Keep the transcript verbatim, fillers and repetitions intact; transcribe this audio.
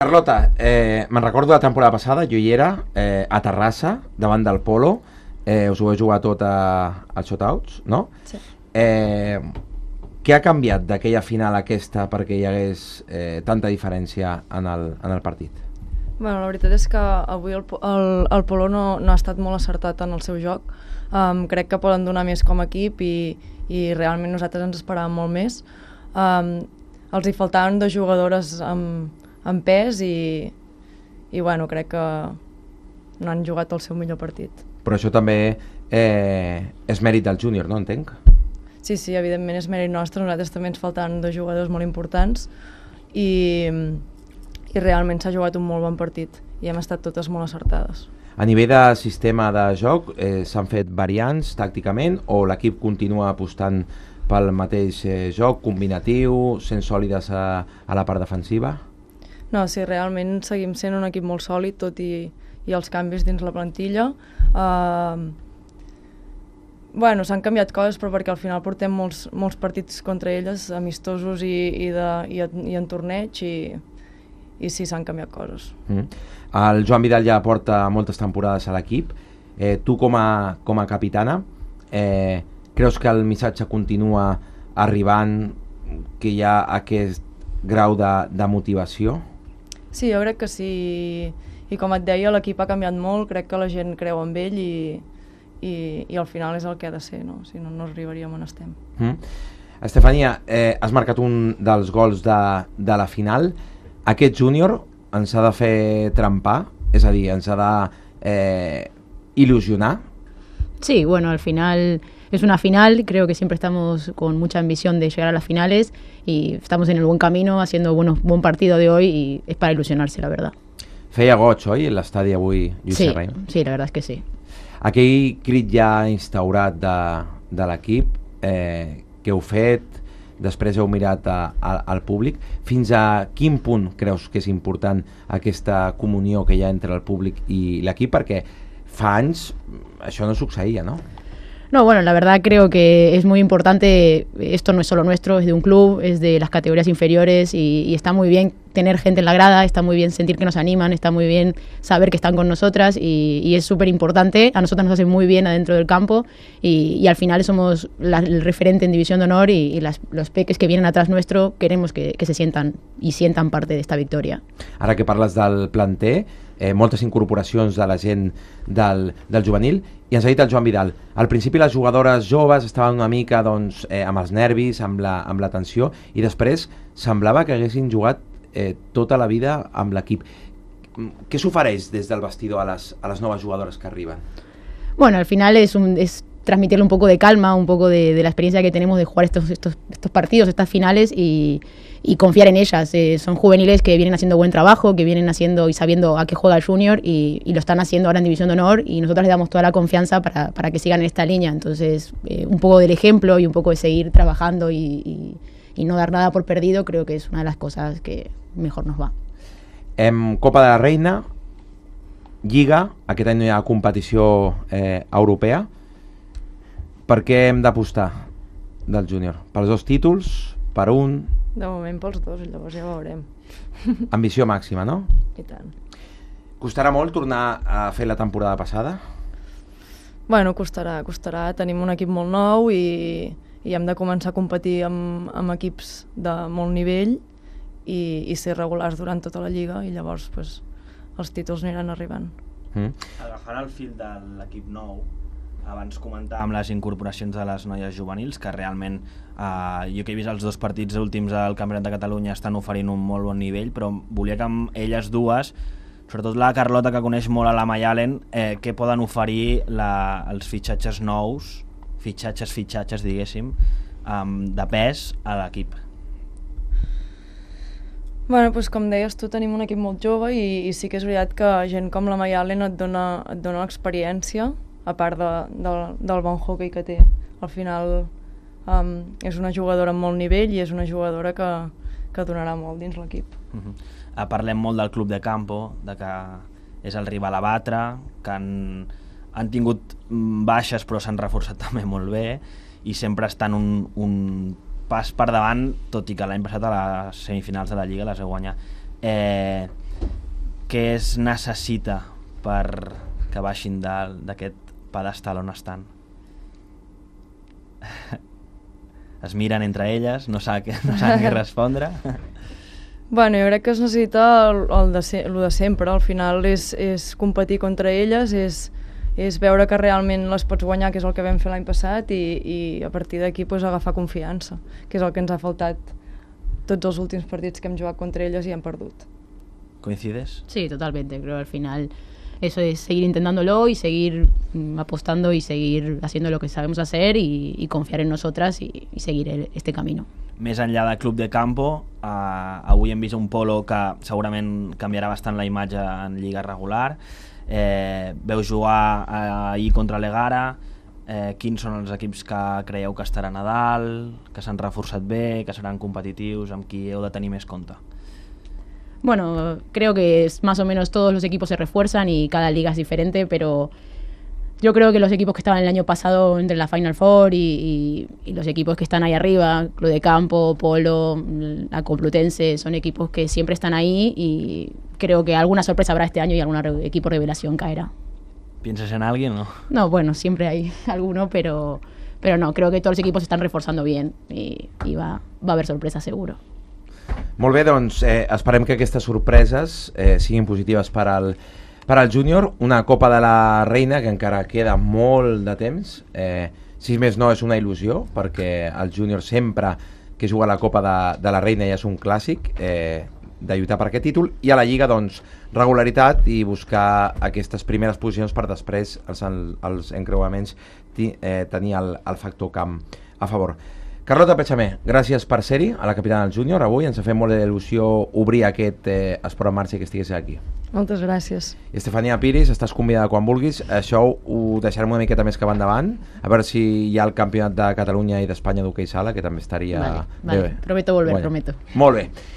Carlota, eh, me'n recordo la temporada passada, jo hi era, eh, a Terrassa, davant del Polo, eh, us ho heu jugat tot a, a shotouts, no? Sí. Eh, què ha canviat d'aquella final a aquesta perquè hi hagués eh, tanta diferència en el, en el partit? Bueno, la veritat és que avui el, el, el Polo no, no ha estat molt acertat en el seu joc. Um, crec que poden donar més com a equip i, i realment nosaltres ens esperàvem molt més. Um, els hi faltaven dos jugadores amb, amb pes i, i bueno, crec que no han jugat el seu millor partit. Però això també eh, és mèrit del júnior, no? Entenc? Sí, sí, evidentment és mèrit nostre. Nosaltres també ens faltaven dos jugadors molt importants i, i realment s'ha jugat un molt bon partit i hem estat totes molt acertades. A nivell de sistema de joc, eh, s'han fet variants tàcticament o l'equip continua apostant pel mateix eh, joc combinatiu, sent sòlides a, a la part defensiva? No, sí, realment seguim sent un equip molt sòlid, tot i, i els canvis dins la plantilla. Uh, bueno, s'han canviat coses, però perquè al final portem molts, molts partits contra elles, amistosos i, i, de, i, i en torneig, i, i sí, s'han canviat coses. Mm. El Joan Vidal ja porta moltes temporades a l'equip. Eh, tu com a, com a capitana, eh, creus que el missatge continua arribant, que hi ha aquest grau de, de motivació? Sí, jo crec que sí, i com et deia, l'equip ha canviat molt, crec que la gent creu en ell i, i, i al final és el que ha de ser, no? Si no, no arribaríem on estem. Mm. Estefania, eh, has marcat un dels gols de, de la final. Aquest júnior ens ha de fer trempar, és a dir, ens ha de eh, il·lusionar. Sí, bueno, al final es una final, creo que siempre estamos con mucha ambición de llegar a las finales y estamos en el buen camino, haciendo buenos, buen partido de hoy y es para ilusionarse, la verdad. Feia goig, oi, l'estadi avui, Lluís Sí, Serrano? sí, la verdad es que sí. Aquell crit ja instaurat de, de l'equip, eh, que heu fet, després heu mirat a, a, al públic, fins a quin punt creus que és important aquesta comunió que hi ha entre el públic i l'equip? Perquè fa anys això no succeïa, no? No, bueno, la verdad creo que es muy importante, esto no es solo nuestro, es de un club, es de las categorías inferiores y, y está muy bien tener gente en la grada, está muy bien sentir que nos animan, está muy bien saber que están con nosotras y, y es súper importante, a nosotros nos hace muy bien adentro del campo y, y al final somos la, el referente en División de Honor y, y las, los peques que vienen atrás nuestro queremos que, que se sientan y sientan parte de esta victoria. Ara que parles del planter, eh, moltes incorporacions de la gent del, del juvenil, i ens ha dit el Joan Vidal, al principi les jugadores joves estaven una mica doncs, eh, amb els nervis, amb la, amb la tensió, i després semblava que haguessin jugat eh, tota la vida amb l'equip. Què s'ofereix des del vestidor a les, a les noves jugadores que arriben? Bueno, al final es, un, es transmitirle un poco de calma, un poco de, de la experiencia que tenemos de jugar estos, estos, estos partidos, estas finales y, y confiar en ellas. Eh, son juveniles que vienen haciendo buen trabajo, que vienen haciendo y sabiendo a qué juega el junior y, y lo están haciendo ahora en División de Honor y nosotros les damos toda la confianza para, para que sigan en esta línea. Entonces, eh, un poco del ejemplo y un poco de seguir trabajando y, y, y no dar nada por perdido, creo que es una de las cosas que mejor nos va. En Copa de la Reina, Lliga, aquest any no hi ha competició eh, europea. Per què hem d'apostar del júnior? Pels dos títols? Per un? De moment pels dos, llavors ja veurem. Ambició màxima, no? I tant. Costarà molt tornar a fer la temporada passada? Bueno, costarà, costarà. Tenim un equip molt nou i, i hem de començar a competir amb, amb equips de molt nivell i, i ser regulars durant tota la lliga i llavors pues, els títols aniran arribant. Mm. Agafant el fil de l'equip nou, abans comentàvem les incorporacions de les noies juvenils, que realment eh, jo que he vist els dos partits últims del Campionat de Catalunya estan oferint un molt bon nivell, però volia que amb elles dues, sobretot la Carlota que coneix molt a la Mayalen, eh, què poden oferir la, els fitxatges nous, fitxatges, fitxatges diguéssim, eh, de pes a l'equip. Bueno, doncs com deies tu, tenim un equip molt jove i, i sí que és veritat que gent com la Mayalen et dona, et dona experiència, a part de, de, del bon hockey que té. Al final um, és una jugadora amb molt nivell i és una jugadora que, que donarà molt dins l'equip. Uh-huh. uh, parlem molt del club de campo, de que és el rival a batre, que han, han tingut baixes però s'han reforçat també molt bé i sempre estan un, un pas per davant, tot i que l'any passat a les semifinals de la Lliga les heu guanyat. Eh, què es necessita per que baixin d'aquest pedestal on estan? Es miren entre elles, no saben, no saben què respondre. Bueno, jo crec que es necessita el, el de, se, el de sempre. Al final és, és competir contra elles, és, és veure que realment les pots guanyar, que és el que vam fer l'any passat, i, i a partir d'aquí pues, agafar confiança, que és el que ens ha faltat tots els últims partits que hem jugat contra elles i hem perdut. ¿Coincides? Sí, totalmente. Creo que al final eso es seguir intentándolo y seguir mm, apostando y seguir haciendo lo que sabemos hacer y, y confiar en nosotras y, y seguir el, este camino. Més enllà del club de campo, eh, avui hem vist un Polo que segurament canviarà bastant la imatge en lliga regular. Eh, veu jugar eh, ahir contra l'Egara. Eh, quins són els equips que creieu que estaran a dalt, que s'han reforçat bé, que seran competitius, amb qui heu de tenir més compte? Bueno, creo que es más o menos todos los equipos se refuerzan y cada liga es diferente, pero yo creo que los equipos que estaban el año pasado entre la Final Four y, y, y los equipos que están ahí arriba, Club de Campo, Polo, la Complutense, son equipos que siempre están ahí y creo que alguna sorpresa habrá este año y algún re- equipo revelación caerá. ¿Piensas en alguien o no? No, bueno, siempre hay alguno, pero, pero no, creo que todos los equipos se están reforzando bien y, y va, va a haber sorpresas seguro. Molt bé, doncs eh, esperem que aquestes sorpreses eh, siguin positives per al, per al júnior. Una Copa de la Reina que encara queda molt de temps. Eh, si més no, és una il·lusió, perquè el júnior sempre que juga a la Copa de, de la Reina ja és un clàssic eh, de lluitar per aquest títol. I a la Lliga, doncs, regularitat i buscar aquestes primeres posicions per després els, els encreuaments ti, eh, tenir el, el factor camp a favor. Carlota Pechamé, gràcies per ser-hi a la capitana del júnior avui. Ens ha fet molt d'il·lusió obrir aquest eh, esport en marxa i que estigués aquí. Moltes gràcies. Estefania Piris, estàs convidada quan vulguis. Això ho deixarem una miqueta més cap endavant, a veure si hi ha el campionat de Catalunya i d'Espanya d'hoquei sala, que també estaria... Vale, vale. bé. Prometo volver, Bueno, prometo. Molt bé.